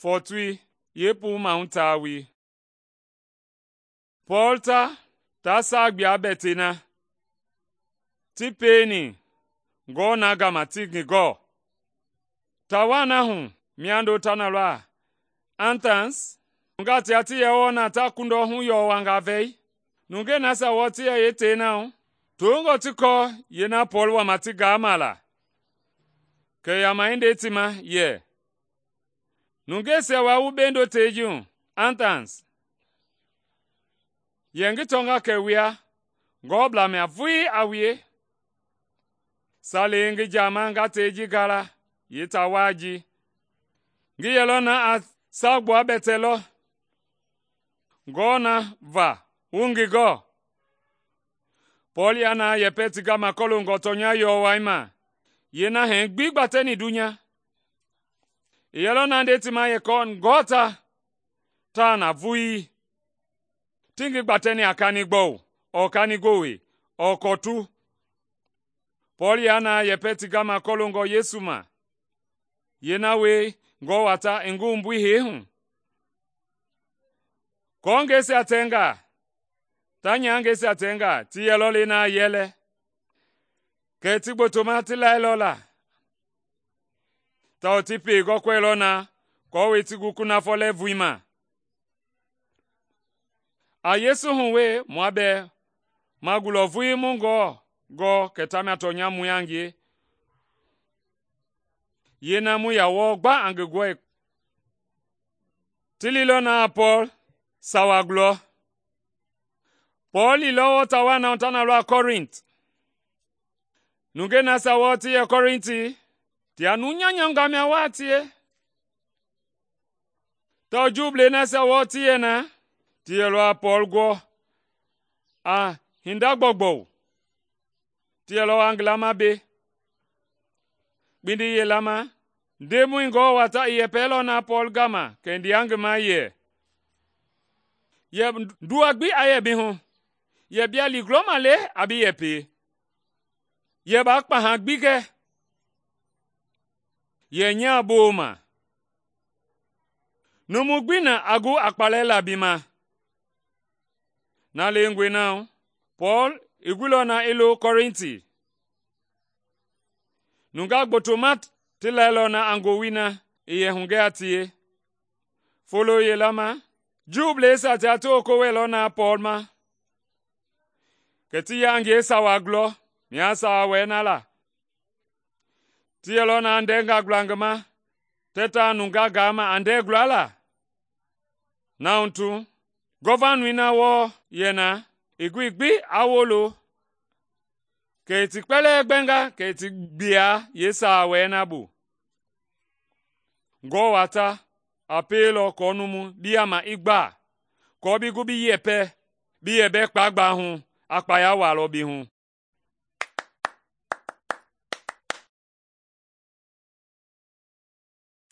fɔɔtoi yeepuu mahu taa wie. Pɔɔl ta saa gbua bɛtɛi na ti pieni ngɔɔ na gama ti ngi gɔɔ. Taa waa na hu miando ta na lɔ Athens, nungaa tia ti yɛ wɔɔ na ta kundɔhu yɔwangaa vɛi. Nungei nasia wɔɔ ti yɛ yeetei na hu, toongɔ ti kɔɔ yeena Pɔɔl wama ti gaama la. Kɛ yama i nde ti ma yɛ, “Nungeisia waa wu bendo tei ji hu Athens, yɛ ngi tɔnga kɛ wua ngɔɔblaa mia vulii a wue. Salee ngi jaama nga tei ji gala yeetaa waa ji, ngi yɛlɔ na a saagbuabɛtɛ lɔ. Ngɔɔ na va wu ngi gɔɔ?” Pɔɔl ya na yɛpɛ ti gama kɔloongɔ tɔnya yɔwɔi ma yeena hɛɛ gbi gbatɛni dunya. I yɛlɔ na nde ti ma yɛ ngɔɔ taa na vulii? Ti ngi gbatɛni a kanigbɔu ɔɔ kanigowe ɔɔ kɔtu. Pɔɔl ya na yɛpɛ ti gama kɔloongɔ Yesu ma yeena wie ngɔɔ wata i ngi wumbui hee hu. Kɔɔngɛisia tɛngaa, ta nyahangɛisia tɛngaa ti yɛlɔ le na yɛlɛ. Kɛ ti gbotoma ti lailɔ la, tawao ti pei gɔkɔɛilɔ na aako ti gu kunafɔ lɛ vulii ma. A Yesu hu wee mua bɛɛ ma gulɔ vulii mu Ngewɔ gɔɔ kɛ tamia tɔnya mui a ngie, yeena mu ya wɔɔ gba a ngi gɔe. Ti liilɔ na a Pɔɔl sawa gulɔ. Pɔɔl liilɔ wɔɔ taa waa na hu ta na lɔ Kɔrint. Nungei nasia wɔɔ ti yɛ Kɔrinti, tia nu nyanyanga mia waa tie. Tawao Juublei nasia wɔɔ ti yɛ na, ti yɛlɔ a Pɔɔl gɔɔ a hinda gbɔugbɔu. Ti yɛlɔ a ngi lama be. Kpindi yeelama, Ndemɔi Ngewɔ wata i yɛpɛlɔ na Pɔɔl gama kɛ ndia ngi ma yɛ, “Yɛ ndua gbi a yɛ bi hu, yɛ bia liigulɔma le a bi yɛpɛi. Yɛ baa kpaha gbi gɛ, yɛ nyaa booma. Numu gbi na a gu a kpalɛ la bi ma.” Na lengɔe na hu, Pɔɔl i guilɔ na i lo Kɔrinti. Nungaa gbotoma ti lailɔ na a ngowili na i yɛ hugɛ a tie. Folo yela ma, Juubleisia tia ti woko wɛilɔ na Pɔɔl ma, kɛ ti ya a ngie sawa gulɔ mia sawa wɛɛ na la. Ti yɛlɔ na a ndɛngaa gula ngi ma, tɛ taa nungaa gaama a ndɛɛ gula la. Na hu tu, gɔvanui na wɔɔ yɛ na, i gui gbi a wolo, kɛ i ti kpɛlɛɛ gbɛnga kɛ i ti gbia yeesawa wɛɛ na bu. Ngɔɔ wata a pielɔ kɔɔ numu bi yama i gba, kɔɔ bi gu bi yɛpɛ, bi yɛbɛ kpaagbaa hu a kpaya walɔ bi hu.